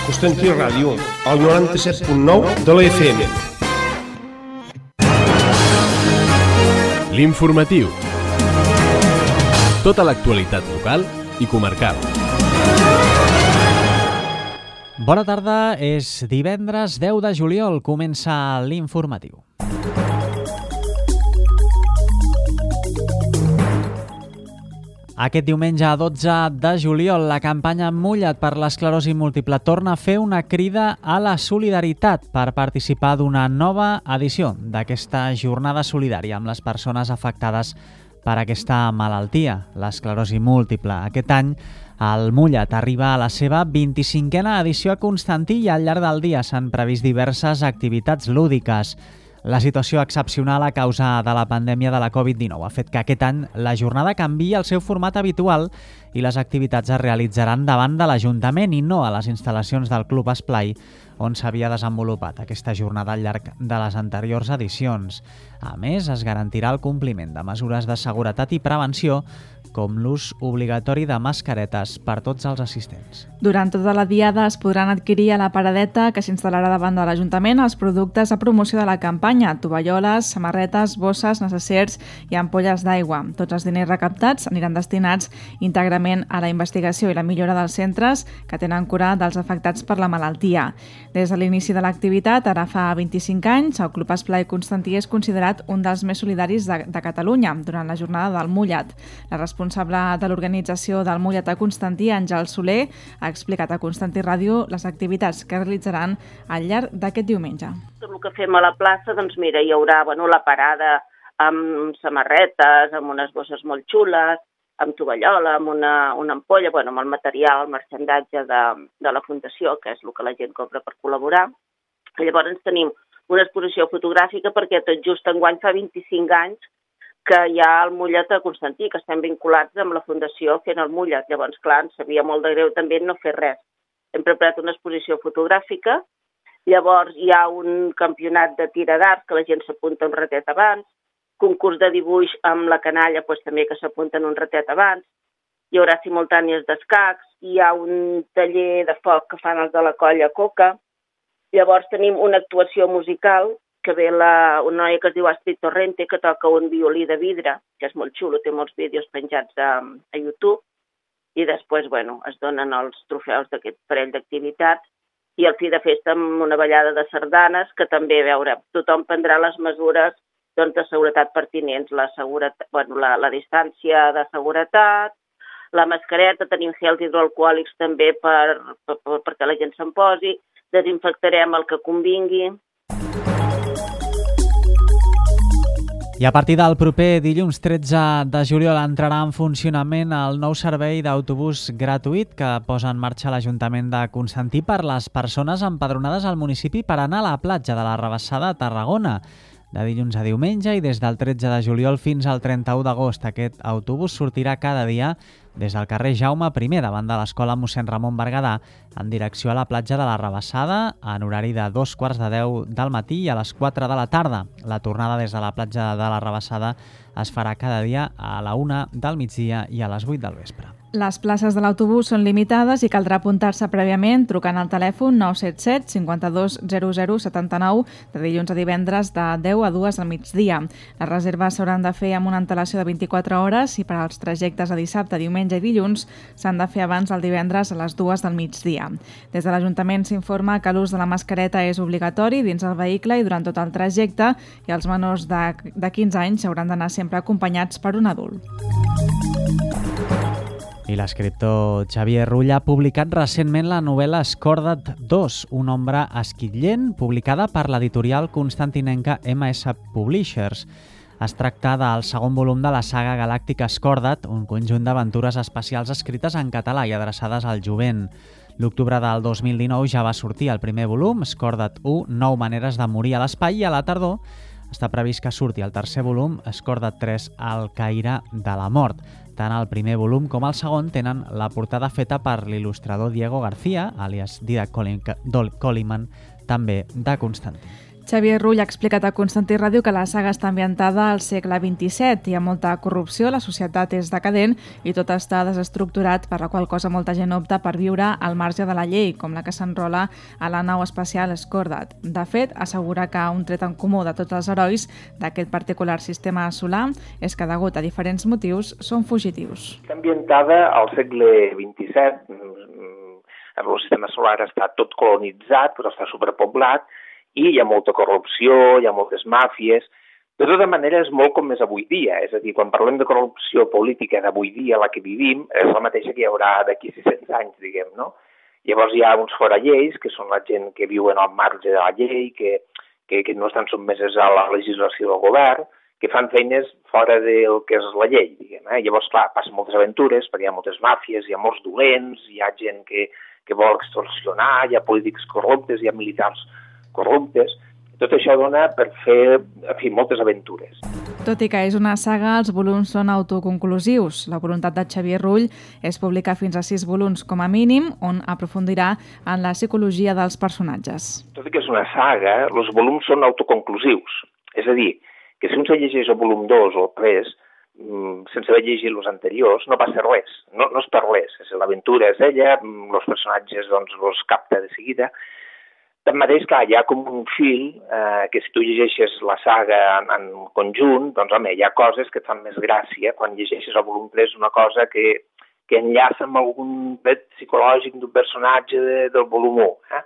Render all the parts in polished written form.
Constantí Ràdio, al 97.9 de la FM. L'informatiu. Tota l'actualitat local i comarcal. Bona tarda, és divendres 10 de juliol, comença l'informatiu. Aquest diumenge 12 de juliol, la campanya Mulla't per l'esclerosi múltiple torna a fer una crida a la solidaritat per participar d'una nova edició d'aquesta jornada solidària amb les persones afectades per aquesta malaltia, l'esclerosi múltiple. Aquest any, el Mulla't arriba a la seva 25a edició a Constantí i al llarg del dia s'han previst diverses activitats lúdiques. La situació excepcional a causa de la pandèmia de la Covid-19 ha fet que aquest any la jornada canviï el seu format habitual i les activitats es realitzaran davant de l'Ajuntament i no a les instal·lacions del Club Esplai, on s'havia desenvolupat aquesta jornada al llarg de les anteriors edicions. A més, es garantirà el compliment de mesures de seguretat i prevenció, com l'ús obligatori de mascaretes per tots els assistents. Durant tota la diada es podran adquirir a la paradeta que s'instal·larà davant de l'Ajuntament els productes a promoció de la campanya, tovalloles, samarretes, bosses, necessers i ampolles d'aigua. Tots els diners recaptats aniran destinats íntegrament a la investigació i la millora dels centres que tenen cura dels afectats per la malaltia. Des de l'inici de l'activitat, ara fa 25 anys, el Club Esplai Constantí és considerat un dels més solidaris de Catalunya durant la jornada del Mulla't. La responsable de l'organització del Mulla't a Constantí, Àngel Soler, ha explicat a Constantí Ràdio les activitats que realitzaran al llarg d'aquest diumenge. El que fem a la plaça, doncs mira, hi haurà la parada amb samarretes, amb unes bosses molt xules, amb tovallola, amb una ampolla, amb el material, el marxandatge de la Fundació, que és el que la gent compra per col·laborar. Llavors tenim una exposició fotogràfica perquè tot just enguany fa 25 anys que hi ha el Mulla't a Constantí, que estem vinculats amb la Fundació fent el Mulla't. Llavors, clar, ens sabia molt de greu també no fer res. Hem preparat una exposició fotogràfica, llavors hi ha un campionat de tira d'arc que la gent s'apunta un ratet abans, concurs de dibuix amb la canalla també que s'apunten un ratet abans, hi haurà simultànies d'escacs, hi ha un taller de foc que fan els de la colla Coca, llavors tenim una actuació musical que ve una noia que es diu Astrid Torrente, que toca un violí de vidre, que és molt xulo, té molts vídeos penjats a YouTube, i després, es donen els trofeus d'aquest parell d'activitats, i al fi de festa amb una ballada de sardanes, que també, tothom prendrà les mesures de seguretat pertinents, la distància de seguretat, la mascareta, tenim gels hidroalcohòlics també perquè la gent se'n posi, desinfectarem el que convingui. I a partir del proper dilluns 13 de juliol entrarà en funcionament el nou servei d'autobús gratuït que posa en marxa l'Ajuntament de Constantí per les persones empadronades al municipi per anar a la platja de la Rabassada a Tarragona. De dilluns a diumenge i des del 13 de juliol fins al 31 d'agost. Aquest autobús sortirà cada dia des del carrer Jaume I, davant de l'escola mossèn Ramon Berguedà, en direcció a la platja de la Rabassada, en horari de 2:45 del matí i a les 4 de la tarda. La tornada des de la platja de la Rabassada es farà cada dia a la 1 del migdia i a les 8 del vespre. Les places de l'autobús són limitades i caldrà apuntar-se prèviament trucant al telèfon 977 52 00 79 de dilluns a divendres de 10 a 2 al migdia. Les reserves s'hauran de fer amb una antelació de 24 hores i per als trajectes a dissabte, diumenge i dilluns s'han de fer abans del divendres a les 2 del migdia. Des de l'Ajuntament s'informa que l'ús de la mascareta és obligatori dins el vehicle i durant tot el trajecte i els menors de 15 anys hauran d'anar sempre acompanyats per un adult. I l'escriptor Xavier Rull ha publicat recentment la novel·la Escorda't 2, una ombra esquitllent, publicada per l'editorial constantinenca MS Publishers. Es tracta del segon volum de la saga galàctica Escorda't, un conjunt d'aventures espacials escrites en català i adreçades al jovent. L'octubre del 2019 ja va sortir el primer volum, Escorda't 1, 9 maneres de morir a l'espai, i a la tardor està previst que surti el tercer volum, Escorda't 3, el caire de la mort. Tant el primer volum com el segon tenen la portada feta per l'il·lustrador Diego García, àlies Didac Colyman, també de Constantí. Xavier Rull ha explicat a Constantí Ràdio que la saga està ambientada al segle XXVII. Hi ha molta corrupció, la societat és decadent i tot està desestructurat, per la qual cosa molta gent opta per viure al marge de la llei, com la que s'enrola a la nau espacial Scordat. De fet, assegura que un tret en comú de tots els herois d'aquest particular sistema solar és que, degut a diferents motius, són fugitius. Està ambientada al segle XXVII. El sistema solar està tot colonitzat, però està superpoblat, i hi ha molta corrupció, hi ha moltes màfies. De tota manera, és molt com és avui dia. És a dir, quan parlem de corrupció política d'avui dia, la que vivim, és la mateixa que hi haurà d'aquí 600 anys, diguem, no? Llavors hi ha uns foralleis, que són la gent que viuen al marge de la llei, que no estan sotmeses a la legislació del govern, que fan feines fora del que és la llei, diguem. Llavors, clar, passen moltes aventures, perquè hi ha moltes màfies, hi ha molts dolents, hi ha gent que vol extorsionar, hi ha polítics corruptes, hi ha militars corruptes. Tot això dona per fer, en fi, moltes aventures. Tot i que és una saga, els volums són autoconclusius. La voluntat de Xavier Rull és publicar fins a 6 volums com a mínim, on aprofundirà en la psicologia dels personatges. Tot i que és una saga, els volums són autoconclusius. És a dir, que si un se llegeix el volum 2 o el 3, sense haver llegit els anteriors, no passa res. No es per res. L'aventura és ella, els personatges doncs els capta de seguida. Tanmateix, clar, hi ha com un fil que si tu llegeixes la saga en conjunt, doncs, home, hi ha coses que et fan més gràcia quan llegeixes el volum 3, una cosa que enllaça amb algun tret psicològic d'un personatge del volum 1.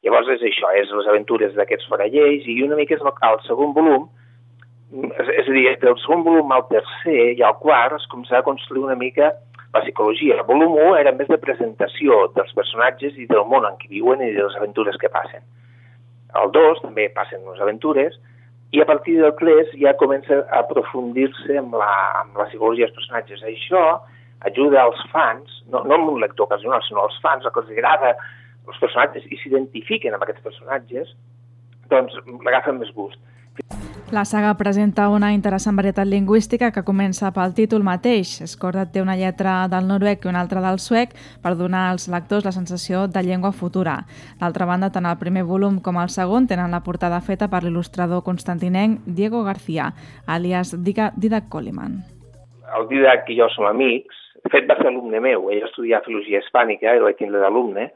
Llavors és això, és les aventures d'aquests foralleis, i una mica és el segon volum, és a dir, del segon volum al tercer i al quart es començarà a construir una mica la psicologia. El volum 1 era més de presentació dels personatges i del món en què viuen i de les aventures que passen. El 2 també passen les aventures i a partir del 3 ja comença a aprofundir-se amb la psicologia dels personatges. Això ajuda als fans, no amb un lector ocasional, sinó als fans, a que els agrada els personatges i s'identifiquen amb aquests personatges, doncs l'agafen més gust. La saga presenta una interessant varietat lingüística que comença pel títol mateix. Scordat té una lletra del noruec i una altra del suec per donar als lectors la sensació de llengua futura. D'altra banda, tant el primer volum com el segon tenen la portada feta per l'il·lustrador constantinenc Diego García, alias Didac Coleman. El Didac i jo som amics. De fet, va ser alumne meu. Ell va estudiar filologia hispànica i vaig tindre d'alumne.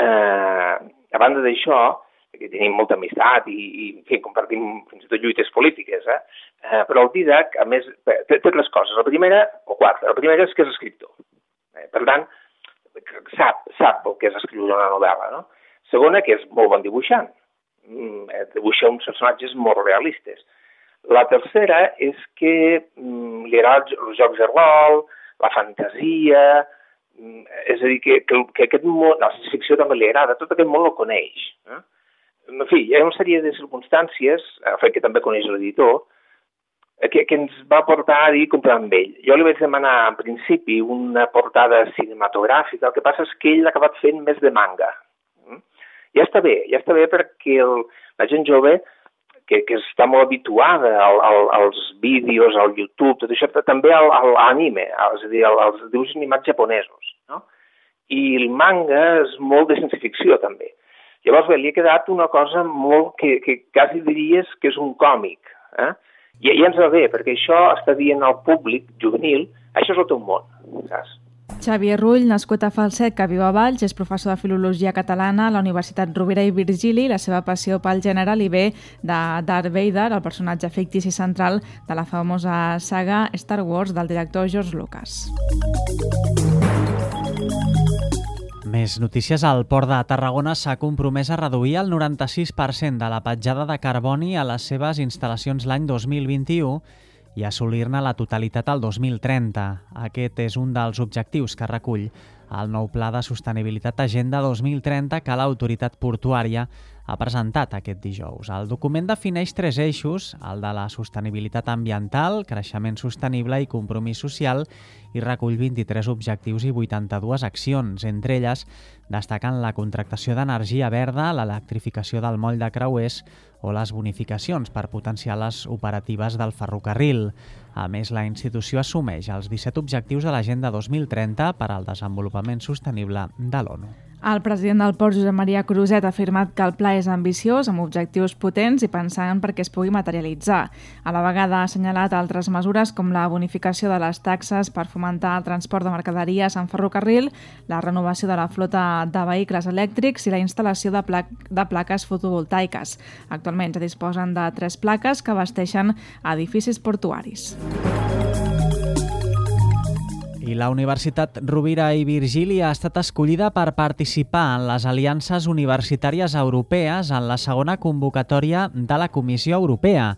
A banda d'això, que tenim molta amistat i en fi, compartim fins i tot lluites polítiques, però el Didac, a més, té tres coses. La primera és que és escriptor. Per tant, sap el que és escriure una novel·la, no? Segona, que és molt bon dibuixant. Dibuixa uns personatges molt realistes. La tercera és que li agrada els jocs de rol, la fantasia, és a dir, que aquest món, la ciència-ficció també li agrada, tot aquest món el coneix. En fi, hi ha una sèrie de circumstàncies, el fet que també coneix l'editor, que ens va portar a dir comprar amb ell. Jo li vaig demanar, en principi, una portada cinematogràfica, el que passa és que ell l'ha acabat fent més de manga. Ja està bé perquè la gent jove, que està molt habituada als vídeos, al YouTube, tot això, també a l'anime, és a dir, als dibuixos animats japonesos, no? I el manga és molt de ciència-ficció, també. Llavors, bé, li ha quedat una cosa molt que quasi diries que és un còmic. I ens va bé, perquè això està dient al públic juvenil, això és el teu món, saps? Xavier Rull, nascut a Falset, que viu a Valls, és professor de Filologia Catalana a la Universitat Rovira i Virgili. La seva passió pel gènere li ve de Darth Vader, el personatge fictici central de la famosa saga Star Wars del director George Lucas. Més notícies. El Port de Tarragona s'ha compromès a reduir el 96% de la petjada de carboni a les seves instal·lacions l'any 2021 i assolir-ne la totalitat al 2030. Aquest és un dels objectius que recull el nou Pla de Sostenibilitat Agenda 2030 que l'autoritat portuària ha presentat aquest dijous. El document defineix 3 eixos, el de la sostenibilitat ambiental, creixement sostenible i compromís social, i recull 23 objectius i 82 accions. Entre elles destaquen la contractació d'energia verda, l'electrificació del moll de creuers o les bonificacions per potenciar les operatives del ferrocarril. A més, la institució assumeix els 17 objectius de l'Agenda 2030 per al desenvolupament sostenible de l'ONU. El president del Port, Josep Maria Cruzet, ha afirmat que el pla és ambiciós, amb objectius potents i pensant perquè es pugui materialitzar. A la vegada ha assenyalat altres mesures com la bonificació de les taxes per fomentar el transport de mercaderies en ferrocarril, la renovació de la flota de vehicles elèctrics i la instal·lació de plaques fotovoltaiques. Actualment ja disposen de 3 plaques que abasteixen edificis portuaris. I la Universitat Rovira i Virgili ha estat escollida per participar en les aliances universitàries europees en la segona convocatòria de la Comissió Europea.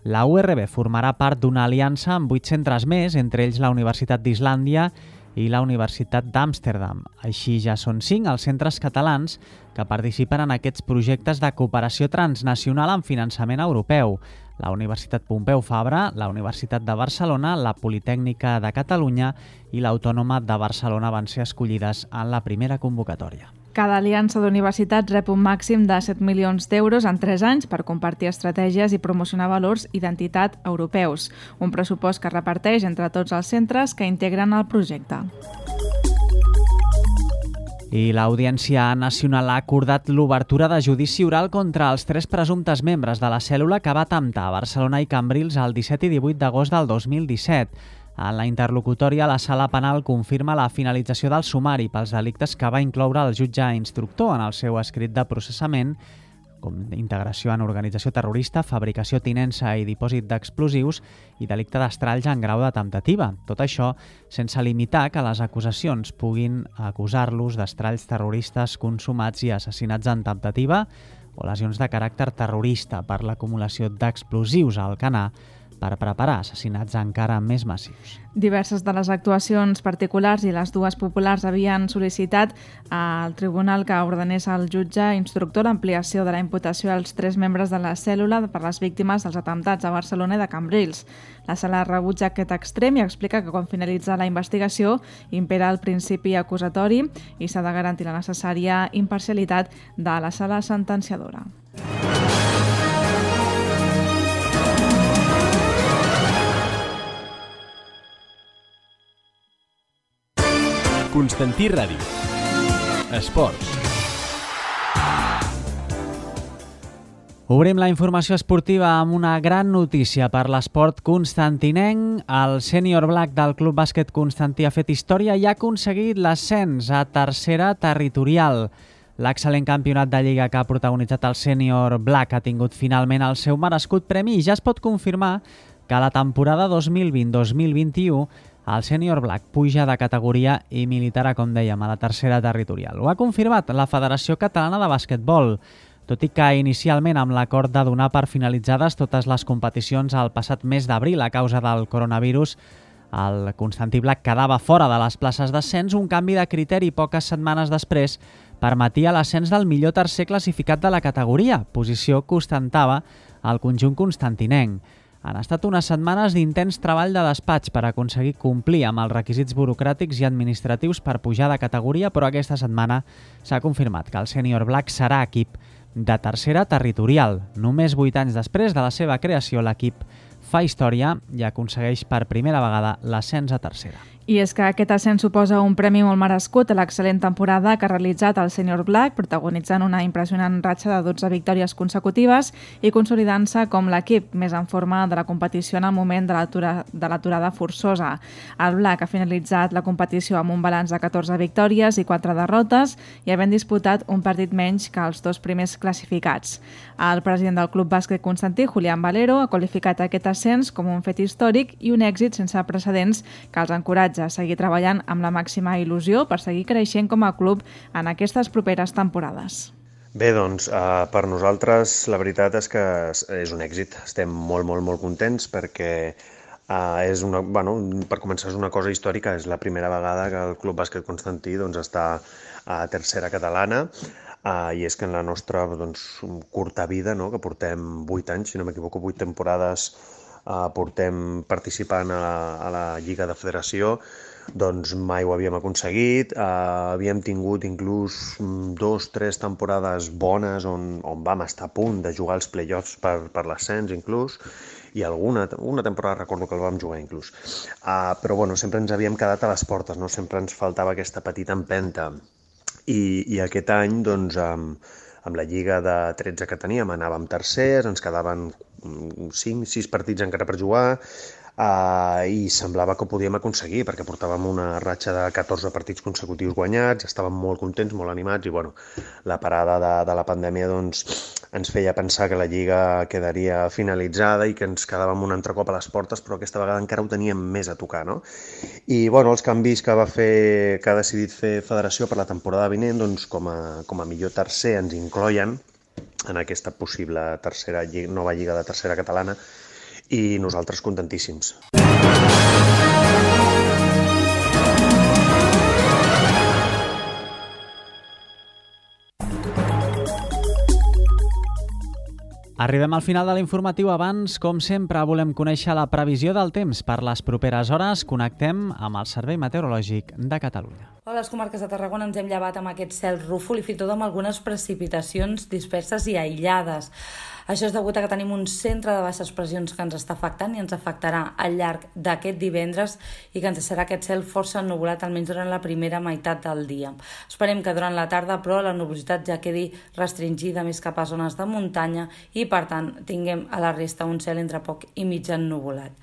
La URB formarà part d'una aliança amb 8 centres més, entre ells la Universitat d'Islàndia i la Universitat d'Amsterdam. Així ja són 5 els centres catalans que participen en aquests projectes de cooperació transnacional amb finançament europeu. La Universitat Pompeu Fabra, la Universitat de Barcelona, la Politècnica de Catalunya i l'Autònoma de Barcelona van ser escollides en la primera convocatòria. Cada aliança d'universitats rep un màxim de 7 milions d'euros en 3 anys per compartir estratègies i promocionar valors d'identitat europeus, un pressupost que es reparteix entre tots els centres que integren el projecte. I l'Audiència Nacional ha acordat l'obertura de judici oral contra els 3 presumptes membres de la cèl·lula que va atemptar a Barcelona i Cambrils el 17 i 18 d'agost del 2017. En la interlocutòria, la Sala Penal confirma la finalització del sumari pels delictes que va incloure el jutge instructor en el seu escrit de processament, com integració en organització terrorista, fabricació, tinença i dipòsit d'explosius i delicte d'estralls en grau de temptativa. Tot això sense limitar que les acusacions puguin acusar-los d'estralls terroristes consumats i assassinats en temptativa o lesions de caràcter terrorista per l'acumulació d'explosius a Alcanar per preparar assassinats encara més massius. Diverses de les actuacions particulars i les 2 populars havien sol·licitat al tribunal que ordenés al jutge instructor l'ampliació de la imputació als 3 membres de la cèl·lula per les víctimes dels atemptats a Barcelona i de Cambrils. La sala rebutja aquest extrem i explica que quan finalitza la investigació impera el principi acusatori i s'ha de garantir la necessària imparcialitat de la sala sentenciadora. Constantí Ràdio. Esports. Obrim la informació esportiva amb una gran notícia per l'esport constantinenc. El sènior black del Club Bàsquet Constantí ha fet història i ha aconseguit l'ascens a tercera territorial. L'excel·lent campionat de Lliga que ha protagonitzat el sènior black ha tingut finalment el seu merescut premi i ja es pot confirmar que la temporada 2020-2021 el sènior black puja de categoria i militarà, com dèiem, a la tercera territorial. Ho ha confirmat la Federació Catalana de Basquetbol, tot i que inicialment amb l'acord de donar per finalitzades totes les competicions al passat mes d'abril a causa del coronavirus, el Constantí Black quedava fora de les places d'ascens. Un canvi de criteri poques setmanes després permetia l'ascens del millor tercer classificat de la categoria, posició que ostentava el conjunt constantinenc. Han estat unes setmanes d'intens treball de despatx per aconseguir complir amb els requisits burocràtics i administratius per pujar de categoria, però aquesta setmana s'ha confirmat que el sènior black serà equip de tercera territorial. Només 8 anys després de la seva creació, l'equip fa història i aconsegueix per primera vegada l'ascens a tercera. I és que aquest ascens suposa un premi molt merescut a l'excel·lent temporada que ha realitzat el sènior black, protagonitzant una impressionant ratxa de 12 victòries consecutives i consolidant-se com l'equip més en forma de la competició en el moment de l'aturada forçosa. El black ha finalitzat la competició amb un balanç de 14 victòries i 4 derrotes i havent disputat un partit menys que els 2 primers classificats. El president del Club Bàsquet Constantí, Julián Valero, ha qualificat aquest ascens com un fet històric i un èxit sense precedents que els encoratja a seguir treballant amb la màxima il·lusió per seguir creixent com a club en aquestes properes temporades. Bé, doncs, per nosaltres la veritat és que és un èxit. Estem molt contents perquè per començar és una cosa històrica. És la primera vegada que el Club Bàsquet Constantí està a tercera catalana i és que en la nostra curta vida, que portem 8 anys, si no m'equivoco, 8 temporades portem participant a la Lliga de Federació, doncs mai ho havíem aconseguit. Havíem tingut inclús 2-3 temporades bones on vam estar a punt de jugar als play-offs per l'ascens inclús, i una temporada recordo que el vam jugar inclús. Però sempre ens havíem quedat a les portes, no? Sempre ens faltava aquesta petita empenta. I aquest any, doncs, amb la lliga de 13 que teníem, anàvem tercers, ens quedaven 5-6 partits encara per jugar, i semblava que ho podíem aconseguir perquè portàvem una ratxa de 14 partits consecutius guanyats, estàvem molt contents, molt animats i bueno, la parada de la pandèmia doncs, ens feia pensar que la Lliga quedaria finalitzada i que ens quedàvem un altre cop a les portes, però aquesta vegada encara ho teníem més a tocar, no? I bueno, els canvis que ha decidit fer Federació per la temporada vinent, doncs, com a millor tercer ens incloien en aquesta possible nova Lliga de tercera catalana i nosaltres contentíssims. Arribem al final de l'informatiu. Abans, com sempre, volem conèixer la previsió del temps. Per les properes hores connectem amb el Servei Meteorològic de Catalunya. A les comarques de Tarragona ens hem llevat amb aquest cel rúfol i fins i tot amb algunes precipitacions disperses i aïllades. Això és degut a que tenim un centre de baixes pressions que ens està afectant i ens afectarà al llarg d'aquest divendres i que ens deixarà aquest cel força ennuvolat almenys durant la primera meitat del dia. Esperem que durant la tarda, però, la nubositat ja quedi restringida més cap a zones de muntanya i, per tant, tinguem a la resta un cel entre poc i mig ennuvolat.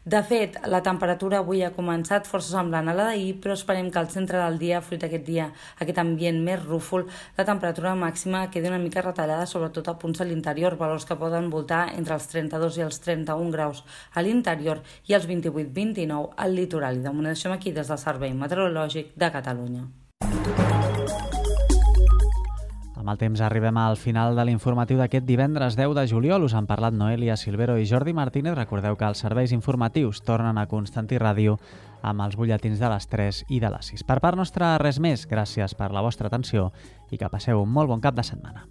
De fet, la temperatura avui ha començat força semblant a la d'ahir, però esperem que al centre del dia, fruit d'aquest ambient més rúfol, la temperatura màxima quedi una mica retallada, sobretot a punts a l'interior, valors que poden voltar entre els 32 i els 31 graus a l'interior i els 28-29 al litoral. I de moment deixem aquí des del Servei Meteorològic de Catalunya. Amb el temps arribem al final de l'informatiu d'aquest divendres 10 de juliol. Us han parlat Noelia Silvero i Jordi Martínez. Recordeu que els serveis informatius tornen a Constantí Ràdio amb els butlletins de les 3 i de les 6. Per part nostra, res més. Gràcies per la vostra atenció i que passeu un molt bon cap de setmana.